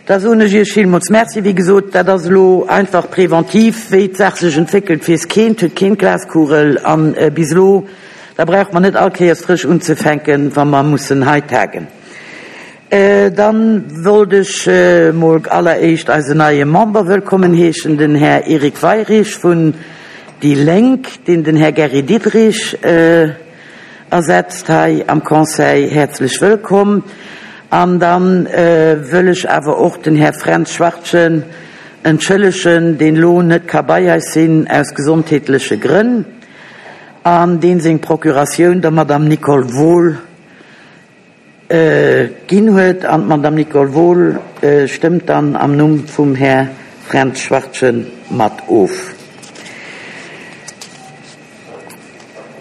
Da soen ech Iech villmools Merci. Wéi gesot, dat ass elo einfach preventiv. Wéi d'Saach sech entwéckelt, weess keen, huet keen d'Glaskugel. A bis elo, da brauche mer net all Kéiers frësch unzefänken, wa mer mussen hei tagen. Da wollt ech mol alleréischt eisen neie Member wëllkommen heeschen, den Här Eric Weirich vun déi Lénk, deen den Här Gary Diderich ersetzt hei am Conseil. Häerzlech wëllkomm. An da wëll ech awer och den Här Fränz Schwartgen entschëllegen, deen elo net ka bei eis sinn aus gesondheetleche Grënn an deen seng Procuratioun der Madame Nicole Wohl ginn huet. An d'Madame Nicole Wohl stëmmt dann am Numm vum Här Fränz Schwartgen mat of.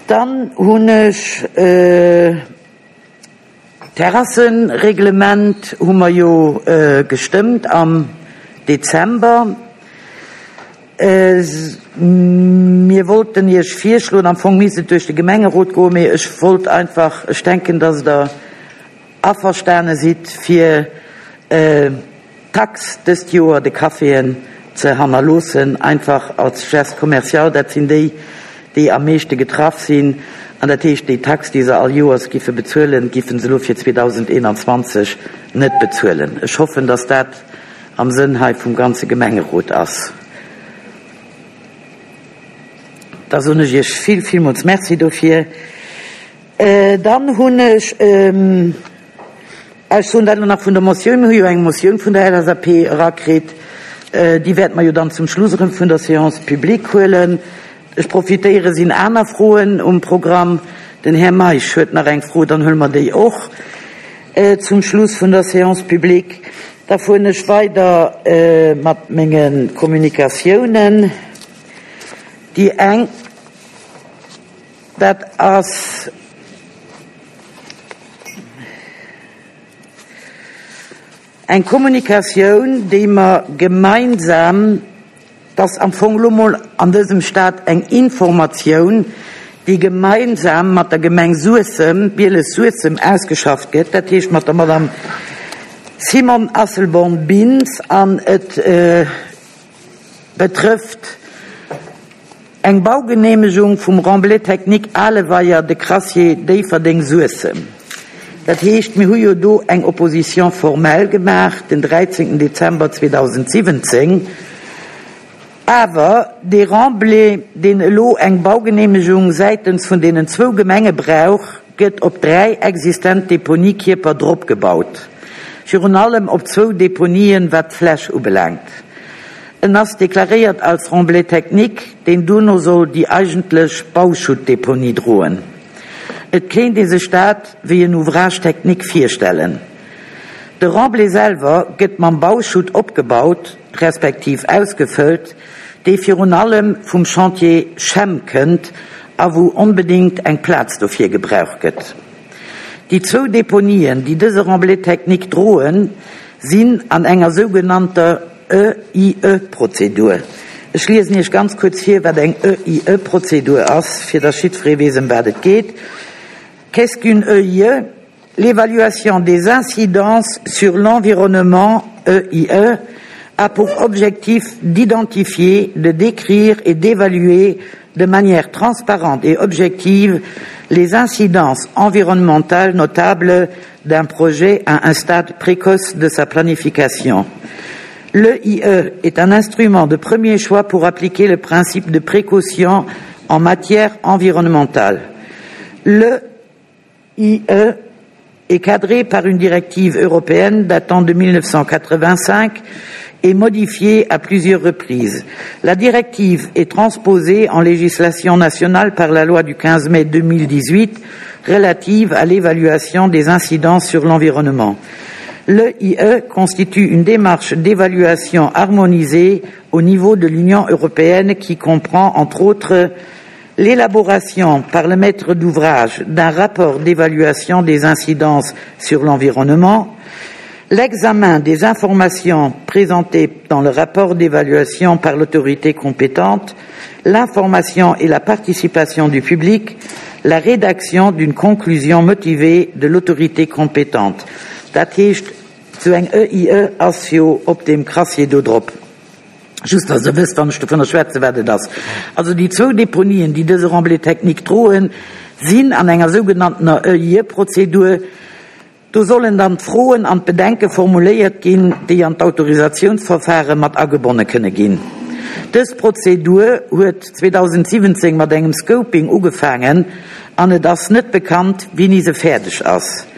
Dann hunn ech d'Terrassenreglement hu mer jo gestëmmt am Dezember. Mir wollten Iech virschloen, am Fong misst et duerch de Gemengerot goen, mee ech wollt einfach, ech denken, dass Der averstane sidd, fir d'Tax dëst Joer de Caféen ze hannerloossen, einfach als Geste commercial. Dat sinn déi, déi am meeschte getraff sinn. An dat heescht, déi Tax, déi se all Joers giffe bezuelen, giffen se elo fir 2021 net bezuelen. Ech hoffen, dass dat am Sënn hei vum ganze Gemengerot ass. Da soen ech Iech vill, villmools Merci dofir. Dann hunn ech, ech soen dat elo nach vun der Motioun, mir hu jo eng Motioun vun der LSAP erakritt, déi wäerte mer jo dann zum Schluss erëm vun der Séance publique huelen. Ech profitéiere, sinn aner Froen um Programm? Den Här Meisch huet nach eng Fro, dann huele mer déi och zum Schluss vun der Séance publique. Da fueren ech weider mat menge Kommunikatiounen. Déi eng, dat ass. Eng Kommunikatioun, déi mer gemeinsam, dat ass am Fong elo mol an dësem Stat eng Informatioun, déi gemeinsam mat der Gemeng Suessem, Bieles-Suessem ausgeschafft gëtt, dat heescht mat der Madame Simone Asselborn-Bintz, an et betrëfft eng Baugeneemegung vum Remblai technique Aleweier, de Crassier Déifferdeng-Suessem. Dat heescht, mir hu jo do eng Opposition formelle gemaach den 13. Dezember 2017. Awer dee Remblai, deen elo eng Baugeneemegung säitens vun deenen zwou Gemenge brauch, gëtt op 3 existent Deponiekierper dropgebaut, virun allem op zwou Deponien, wat d'Fläch ubelaangt. En ass deklaréiert als Remblai technique, deen duerno soll déi eigentlech Bauschuttdeponie droen. Et kéint ee sech dat wéi en Ouvrage technique virstellen. De Remblai selwer gëtt mam Bauschutt opgebaut, respektiv ausgefëllt, dee virun allem vum Chantier Chem kënnt a wou onbedéngt eng Plaz dofir gebraucht gëtt. Déi zwou Deponien, déi dëse Remblai technique droen, sinn an enger sougenannter EIE-Prozedur. Ech liesen Iech ganz kuerz vir, wat eng EIE-Prozedur ass, fir dass jiddweree weess, ëm wat et geet. Qu'est-ce qu'une EIE? L'évaluation des incidences sur l'environnement, EIE, a pour objectif d'identifier, de décrire et d'évaluer de manière transparente et objective les incidences environnementales notables d'un projet à un stade précoce de sa planification. L'EIE est un instrument de premier choix pour appliquer le principe de précaution en matière environnementale. L'EIE est cadré par une directive européenne datant de 1985 et modifiée à plusieurs reprises. La directive est transposée en législation nationale par la loi du 15 mai 2018 relative à l'évaluation des incidences sur l'environnement. L'EIE constitue une démarche d'évaluation harmonisée au niveau de l'Union européenne qui comprend, entre autres, l'élaboration par le maître d'ouvrage d'un rapport d'évaluation des incidences sur l'environnement, l'examen des informations présentées dans le rapport d'évaluation par l'autorité compétente, l'information et la participation du public, la rédaction d'une conclusion motivée de l'autorité compétente. Dat heescht. Sou eng EIE ass jo op deem Crassier do drop. Just, dass Der wësst, wann ech dovunner schwätzen, wat et ass. Also déi zwou Deponien, déi dëse Remblai technique droen, sinn an enger sougenanntener EIE-Prozedur. Do sollen dann d'Froen an d'Bedenke formuléiert ginn, déi an d'Autorisatiounsverfahre mat agebonne kënne ginn. Dës Prozedur huet 2017 mat engem Scoping ugefaangen an et ass net bekannt, wéini se fäerdeg ass.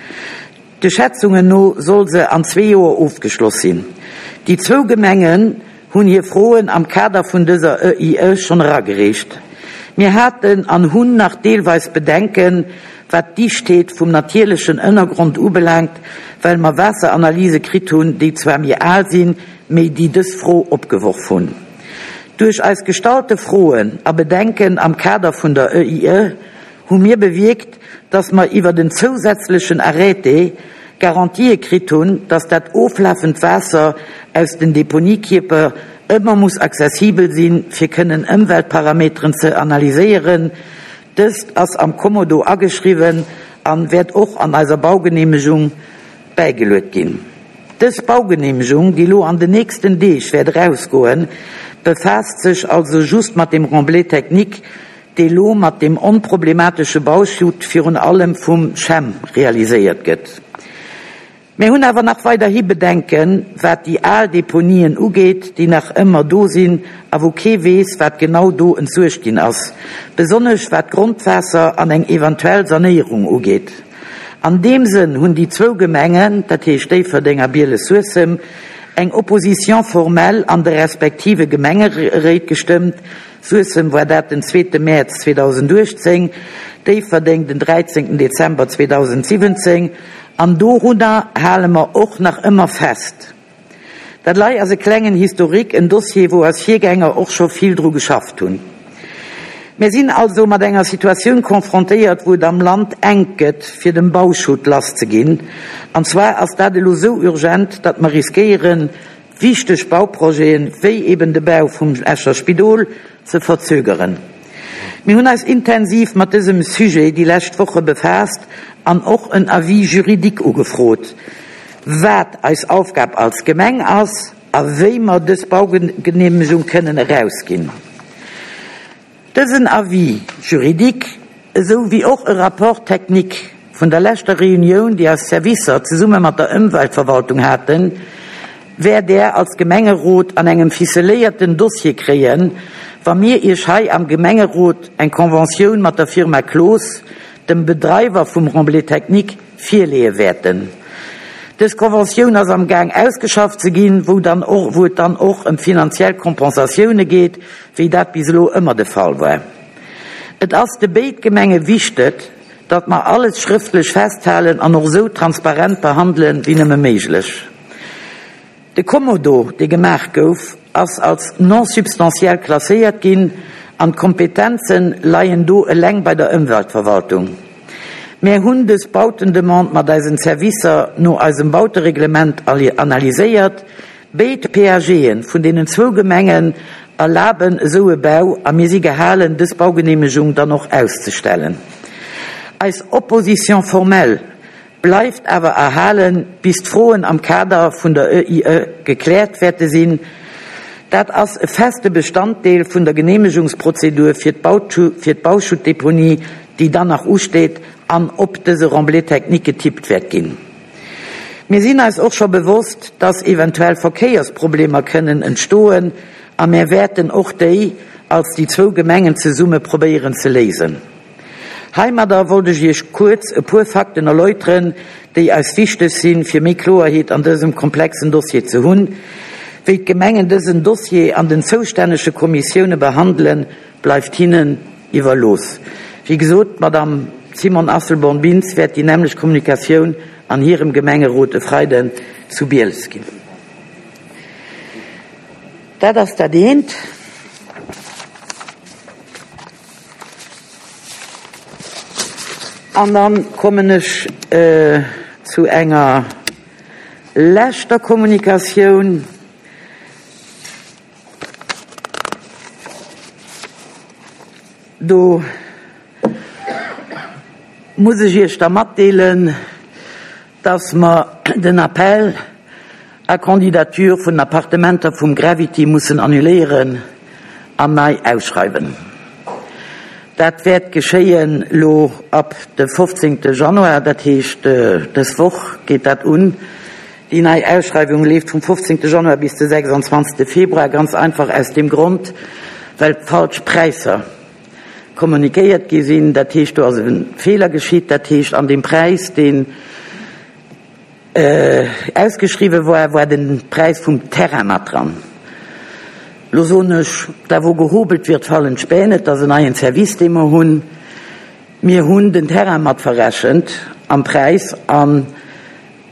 De Schätzungen no soll se an zwee Joer ofgeschloss sinn. Déi zwou Gemengen hunn hir Froen am Kader vun dëser EIE schonn eragereecht. Mir haten an hunn nach deelweis Bedenken, wat d'Dichtheet vum natierlechen Ënnergrond ubelaangt, well mer Waasseranalyse kritt hunn, déi zwar méi al sinn, mee déi dës Fro opgeworf hunn. Duerch eis gestallte Froen a Bedenken am Kader vun der EIE hu mir bewierkt, dass mer iwwert en zousätzlechen Arrêté Garantië kritt hunn, dass dat oflafend Waasser aus den Deponiekierper ëmmer muss accessibel sinn, fir kënnen Ëmweltparameteren ze analyséieren. Dëst ass am Kommodo ageschriwwen an wäert och an eiser Baugeneemegung bäigeluet ginn. Dës Baugeneemegung, déi lo an den nächsten Deeg wäert erausgoen, befaasst sech also just mat dem Remblai technique, dee lo mat deem onproblematesche Bauschutt virun allem vum Chem realiséiert gëtt. Mir hunn awer nach weiderhi Bedenken, wat déi al Deponien ugeet, déi nach ëmmer do sinn a wou kee weess, wat genau do entsuergt ginn ass, besonnesch wat d'Grondwaasser an eng eventuell Sanéierung ugeet. An deem Sënn hunn déi zwou Gemengen, dat heescht Déifferdeng a Bieles-Suessem, eng Opposition formelle an de respektive Gemengeréit gestëmmt, Suessem war dat den zweete Mäerz 2018, Déifferdeng den 13 Dezember 2017, an dorunner hale mer och nach ëmmer fest. Dat lei ass e klengen Historique, en Dossier, wou eis Virgänger och scho vill dru geschafft hunn. Mir sinn also mat enger Situatioun confrontéiert, wou et am Land enk gëtt, fir dem Bauschutt lasszeginn. An zwar ass dat elo sou urgent, datt mer riskéieren, wichteg Bauprojeten, wéi eben de Bau vum Escher Spidol, ze verzögeren. Mir hunn eis intensiv mat dësem Sujet déi lescht Woche befaasst an och en Avis juridique ugefrot, wat eis Aufgab als Gemeng ass a wéi mer dës Baugeneemegung kënnen erausginn. Dësen Avis juridique, esou wéi och e Rapport technique vun der leschter Reunioun, déi eis Servicer zesumme mat der Ëmweltverwaltung haten, wäert Där als Gemengerot an engem ficeléierten Dossier kréien, wa mir Iech hei am Gemengerot eng Conventioun mat der Firma Cloos, dem Bedreiwer vum Remblai technique, virleeë wäerten. Dës Conventioun ass am Gaang ausgeschafft ze ginn, wou dann och, wou et dann och ëm finanziell Kompensatioune geet, wéi dat bis elo ëmmer de Fall war. Et ass de béid Gemenge wichtet, datt mer alles schrëftlech festhalen an och esou transparent behandelen, wéi nëmme méiglech. De Kommodo, dee gemaach gouf, ass als non substantiel klasséiert ginn an d'Kompetenze leien do eleng bei der Ëmweltverwaltung. Mär hunn dës Bautendemande mat eisen Servicer no eisem Bautereglement analyséiert. Béid PAGe vun deenen zwou Gemengen erlaben esou e Bau a mir si gehalen, dës Baugeneemegung dann och auszestellen. Eis Opposition formelle bleift awer erhalen, bis d'Froen am Kader vun der EIE gekläert wäerte sinn. Dat ass e feste Bestanddeel vun der Geneemegungsprozedur fir d'Bauschuttdeponie, déi dann nach usteet an op dëse Remblai technique getippt wäert ginn. Mir sinn eis och scho bewosst, dass eventuell Verkéiersproblemer kënnen entstoen a mär wäerten och déi als déi zwou Gemengen zesumme probéieren ze léisen. Heimadder wollt ech Iech kuerz e puer Fakten erläuteren, déi eis wichteg sinn, fir méi Kloerheet an dësem komplexen Dossier ze hunn. Wéi d'Gemengen dësen Dossier an den zoustännege Kommissioune behandelen, bleift hinnen iwwerlooss. Wéi gesot, d'Madame Simone Asselborn-Bintz wäert déi nämmlecht Kommunikatioun an hirem Gemengerot e Freiden zu Bieles ginn. Dat ass dat eent. An dann kommen ech zu enger leschter Kommunikatioun. Do muss ech Iech da matdeelen, dass mer den Appel. à candidature vun den Appartementer vum Gravity mussen annuléieren an nei ausschreiwen. Dat wäert geschéien lo ab de 15. Januar, dat heescht dës Woch geet dat un. Déi nei Ausschreiwung leeft vum 15. Januar bis de 26. Februar, ganz einfach aus deem Grond, well falsch Präisser kommunikéiert gi sinn. Dat heescht, do ass e Feeler geschitt. Dat heescht, an deem Präis, deen ausgeschriwwe war, war de Präis vum Terrain mat dran. Lo soen ech, da wou gehobelt wird, fallen d'Späne. Et ass en neien Service, dee mer hunn. Mir hunn den Terrain mat verrechent am Präis an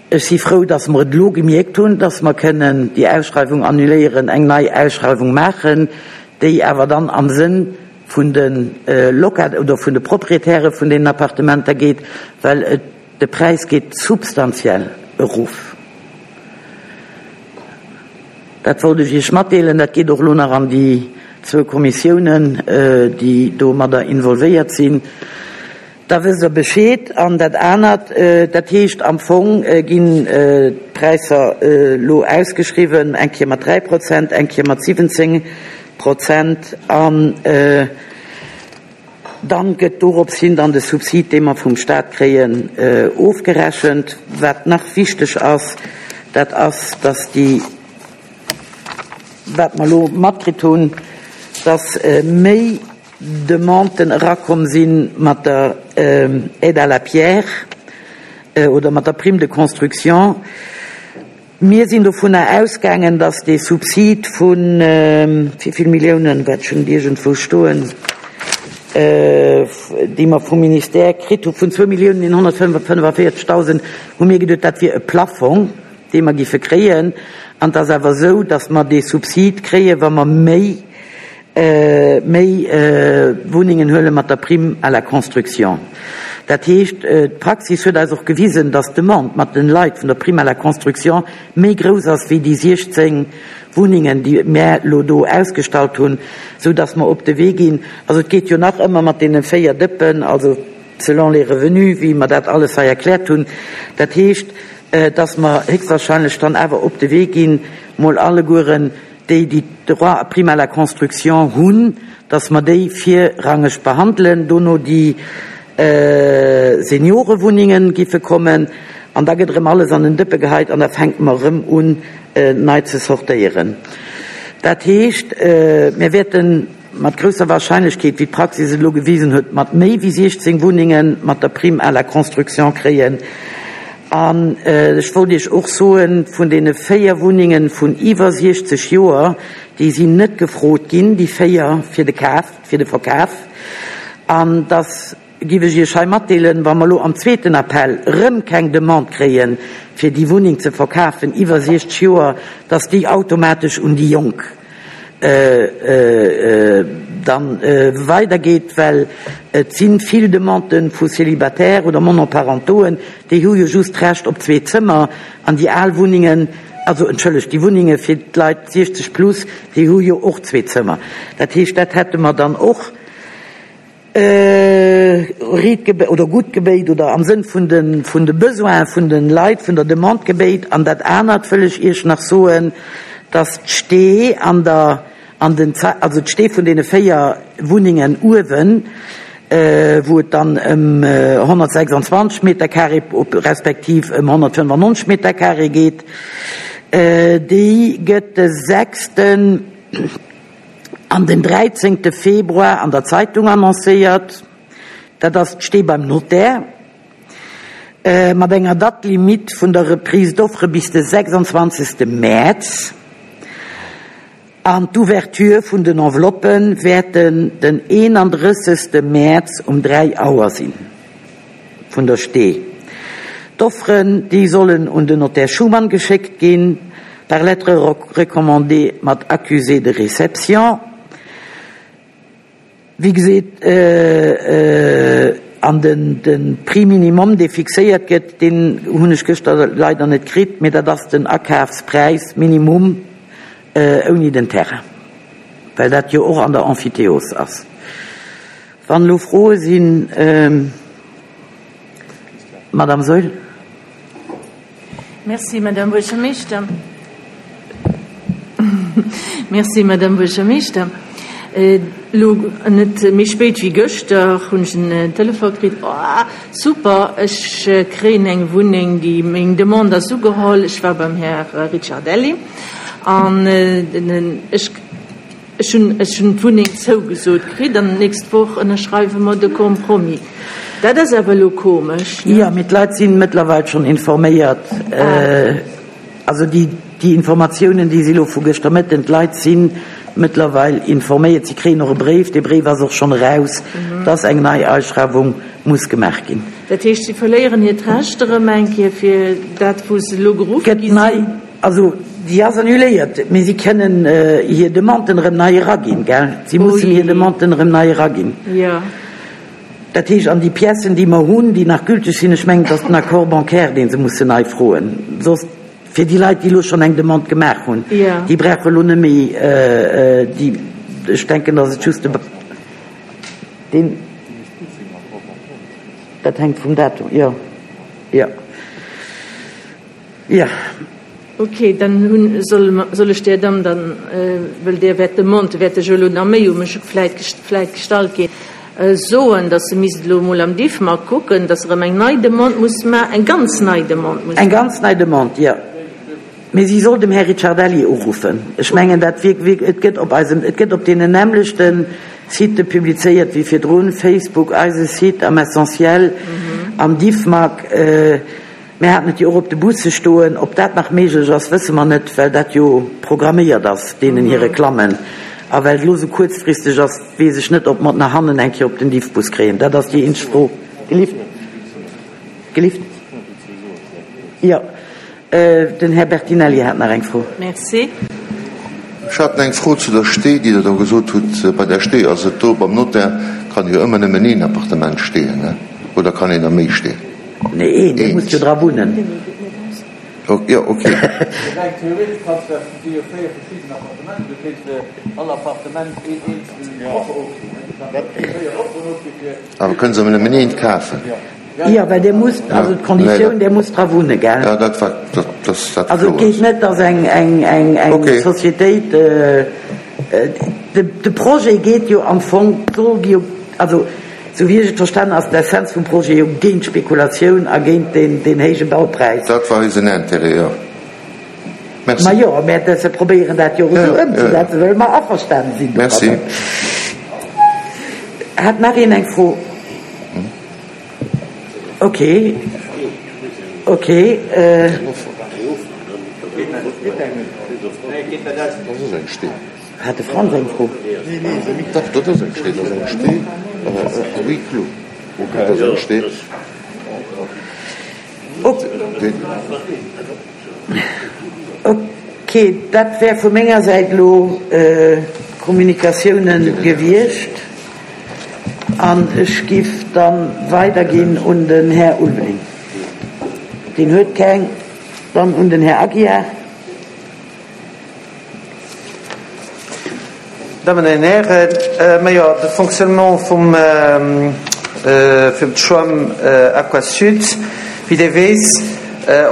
ech si frou, dass mer et elo gemierkt hunn, dass mer kënnen déi Ausschreiwung annuléieren, eng nei Ausschreiwung maachen, déi awer dann am Sënn vun de Locat oder vun de Proprietäre vun deenen Appartementer geet, well et De Präis geet substantiell erof. Dat wollt ech Iech matdeelen. Dat geet och elo nach an déi zwou Kommissiounen, déi domadder involvéiert sinn. Da wësst Der Bescheed. An dat anert, dat heescht am Fong ginn d'Präisser elo ausgeschriwwen, eng Kéier mat 3 Prozent, eng Kéier mat 17 Prozent. An Dann gëtt dorops hin dann de Subsid, dee mer vum Stat kréien, ofgerechent. Wat nach wichteg ass, dat ass, dass déi, wat mer elo matkritt hunn, dass méi Demanden erakomm si mat der Aide à la pierre oder mat der Prime de construction. Mir sinn dovunner ausgaangen, dass dee Subsid vu wéi vill Milliounen, wat ech hunn et iergendwou stoen, déi mer vum Ministère kritt hu vun 2.145.000, hu mir geduet, dat wier e Plafong, dee mer giffe kréien. An et ass awer esou, dass mer dee Subsid kréien, wa mer méi méi Wunnengen huele mat der Prime à la construction. Dat heescht, d'Praxis huet eis och gewisen, dass d'Demande mat den Leit vun der Prime à la construction méi grouss ass wéi déi 16 Wunnengen, déi mär elo do ausgestallt hunn, sou dass mer op de Wee ginn. Also et geet jo nach ëmmer mat deene 4 Dëppen, also selon les revenus, wéi mer dat alles hei erkläert hunn. Dat heescht, dass mer héchstwahrscheinlech dann awer op de Wee ginn, mol allegueren déi, déi Droit à prime à la construction hunn, dass mer déi virrangeg behandelen, dono déi Seniorewunnungen giffe kommen an da gëtt erëm alles an en Dëppe geheit an da fänke mer erëm un nei ze sortéieren. Dat heescht, mir wäerten mat grousser Wahrscheinlechkeet, wéi d'Praxis et elo gewisen huet, mat méi wéi 16 Wunnenge mat der Prime à la construction kréien. An ech wollt Iech och soen, vun deene 4 Wunnenge vun iwwer 60 Joer, déi sinn net gefrot ginn, déi 4 fir de Kaf, fir de Verkaf. An dass giff ech Iech hei matdeelen, wa mer elo am zweeten Appel erëm keng Demande kréien, fir déi Wunneng ze verkafen iwwer 60 Joer, dass déi automatesch un déi Jonk dann weidergeet, well et si vill Demandë vu Célibataires oder Monoparentoen, déi hu jo just d'Recht op zwee Zëmmer an déi al Wunnengen, also entschëllegt, déi Wunnenge fir d'Leit 60 plus, déi hu jo och zwee Zëmmer. Dat heescht, dat hätte mer dann och. Riit gebéit oder gutt gebéit oder am Sënn vun de vun de Besoine vun de Leit, vun der Demande gebéit. An dat anert wëll ech Iech nach soen, dass d'Stee an der an den also d'Stee vun deene 4 Wunnengen uewen, wou et dann ëm 126 Meter carré respektiv ëm 195 Meter carré geet, déi gëtt de sechsten, An den 13 Februar an der Zeitung annoncéiert, dat ass d'Stee beim Notaire, mat enger Date limite vun der Reprise d'offre bis de 26 Mäerz. An d'Ouverture vun den Enveloppe wäerten den 31 Mäerz um 3 Auer sinn. Vun der Stee. D'Offeren, déi sollen un den Notaire Schuman geschéckt ginn, par lettre recommandée mat accusé de réception. Wéi geseet, an den de Prix minimum, dee fixéiert gëtt, deen hunn ech gëschter leider net kritt, mee dat ass den Akafspräis minimum ouni den Terrain, well dat jo och an der Emphytéose ass. Wann elo Froe sinn, Madame Saeul. Merci, Madame Buergermeeschter. Merci, Madame Buergermeeschter. Elo net méi spéit wéi gëschter hunn ech en Telefon kritt, Oh, super, ech kréien eng Wunneng, déi, meng Demande ass ugeholl. Ech war beim Här Ricciardelli an ech, ech hunn, ech hunn d'Wunneng zougesot kritt an d'nächst Woch ënnerschreiwe mer de Compromis. Dat ass awer elo komesch, ne? Jo, mee d'Leit sinn mëttlerweil schonn informéiert. Also déi, déi Informatiounen, déi si elo vu gëschter Mëtten, d'Leit si mëttlerweil informéiert, si kréien och e Bréif, dee Bréif ass och schonn eraus, dass eng nei Ausschreiwung muss gemaach ginn. Dat heescht, si verléieren hiert Recht erëm eng Kéier fir dat, wou se elo geruff gi sinn? Also déi ass annuléiert, mee si kënnen hir Demanden erëm nei eraginn, gell? Si mussen hir Demanden erëm nei eraginn. Jo. Dat heescht, an déi Piècen, déi mer hunn, déi nach gülteg sinn, ech mengen, et ass den Accord bancaire, dee se mussen nei froen. Soss, fir déi Leit, déi elo schonn eng Demande gemaach hunn, déi brauche elo net méi déi, ech denken, datt et just de, deen, dat hänkt vum Datum, jo, jo. Jo. Ok, dann hunn, soll, soll ech där Damm dann, well där wäert d'Demande wäert ech elo nach méi u mech vläit, vläit gestallt ginn, soen, datt se misst elo emol am Diffmag kucken, datt se erëm eng nei Demande muss ma, eng ganz nei Demande muss Eng ganz nei Demande, jo. Mee si soll dem Här Ricciardelli uruffen. Ech mengen, dat wier, wier, et gëtt op eisem, et gëtt op deenen nämmlechte Sitë publizéiert wéi virdrun, Facebook, eise Site, am Essentiel, am Diffmag. Mir haten et jo och op de Busse stoen. Ob dat nach méiglech ass, wësse mer net, well dat jo programméiert ass, deenen hir Reklammen. A well et elo esou kuerzfristeg ass, weess ech net, ob mer et nach hannen eng Kéier op den Diffbus kréien. Dat ass déi eenzeg Fro. Gelift? Gelift? Jo, den Här Bertinelli hat nach eng Fro. Merci. Ech hat eng Fro zu der Stee, déi Der do gesot hutt. Bei der Stee ass et do, beim Notaire kann jo ëmmer nëmmen een Appartement steeën, ne? Oder kann een der méi steeën? Nee, een, dee muss jo dra wunnen. Jo, ok. Reng theoretesch kanns de, si jo 4 verschidden Appartementen, du kéints fir all Appartement een eenzelnen Offer ofginn, ne? Du kanns der 4 Offeren ofginn fir. Awer kënne se nëmmen eent kafen? Jo, well dee muss, also d'Konditioun, dee muss dra wunnen, gell? Jo, dat war, dat ass dat kloer. Also et geet net, datt eng, eng, eng, eng Societéit, de, de Projet geet jo am Fong, soll jo, also. Sou wéi ech et verstanen, ass d'Essenz vum Projet jo géint d'Spekulatioun a géint deen héije Baupräis. Dat war eisen Intérêt, jo. Merci. Majo, mä se probéieren dat jo och esou ëmzesetzen, well mer averstanen sinn domadder. Merci. Hat nach een eng Fro? Ok, ok. Hat de Franz eng Fro? Dach, dat ass eng Stee, dat ass eng Stee à huis clos. Dat ass eng Stee. Ok, dat wär vu menger Säit elo Kommunikatiounen gewiescht an ech giff da weiderginn un den Här Ulveling. Deen huet keng. Dann un den Här Aguiar. Dammen an Hären, majo, de Fonctionnement vum vum Schwamm Aquasud, wéi Dir weess,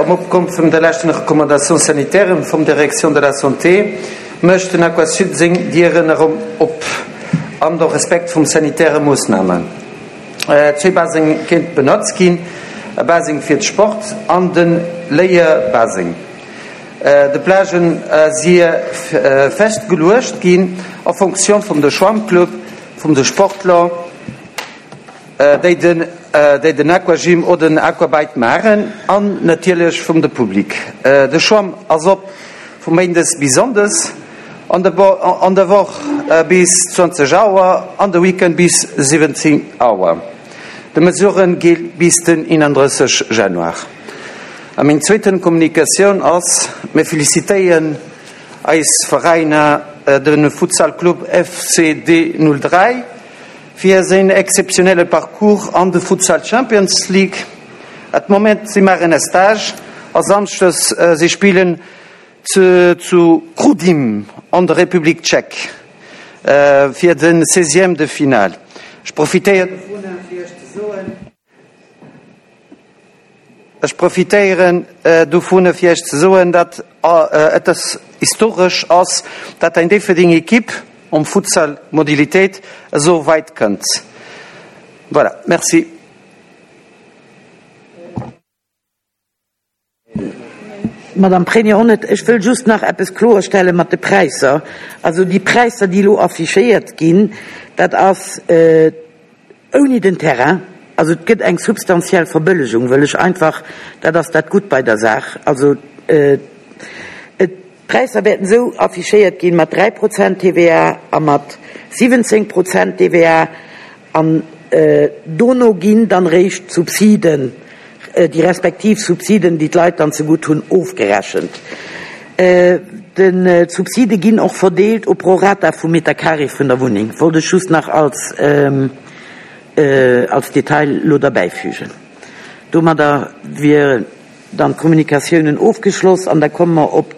um Opgrond vum der leschten Recommandation sanitaire vum Direction de la Santé, mécht den Aquasud seng Dieren erëm op, an der Respekt vum sanitäre Moossnamen. Zwee Baseng kéint benotzt ginn, e Baseng fir de Sport an de Léierbaseng. De Plagen si festgeluecht ginn en fonction vum de Schwammclub, vum de Sportler, déi den déi den Aquagym oder den Aquabike maachen an natierlech vum de Public. De Schwamm ass op vu méindes bis sonndes, an der an der Woch bis 20 Auer, an de Weekend bis 17 Auer. De Mesurë gi bis den 31 Januar. A meng zweeten Kommunikatioun ass, Mir felicitéien eis Veräiner, de Futsal Club FCD 03 fir séin exzeptionelle Parcours an de Futsal Champions League. At Moment si maachen e Stage a Samschdes si spillen zu Chrudim an der Republik Tschech fir de Seizième de finale. Ech profitéieren dovunner fir iech ze soen. Ech profitéieren dovun, fir Iech ze soen, datt et historesch ass, datt eng Déifferdeng Equipe am Futsal Modilitéit esou weit kënnt. Voilà, merci. Madame Pregno-Onnet, ech wëll just nach eppes kloerstelle mat de Präisser. Also déi Präisser, déi elo affichéiert ginn, dat ass ouni den Terrain. Also et gëtt eng substantiell Verbëllegung, wëll ech einfach, dat ass dat Gutt bei der Saach. Also et, d'Präisser wäerten esou affichéiert ginn, mat 3 Prozent TVA a mat 17 Prozent TVA. An dono ginn dann eréischt d'Subsiden, déi respektiv Subsiden, déi d'Leit dann zegutt hunn, ofgerechent. D'Subside ginn och verdeelt au prorata vum Metercarré vun der Wunneng, wollt ech just nach als als Detail elo derbäifügen. Domadder wieren dann d'Kommunikatiounen ofgeschloss an da komme mer op de.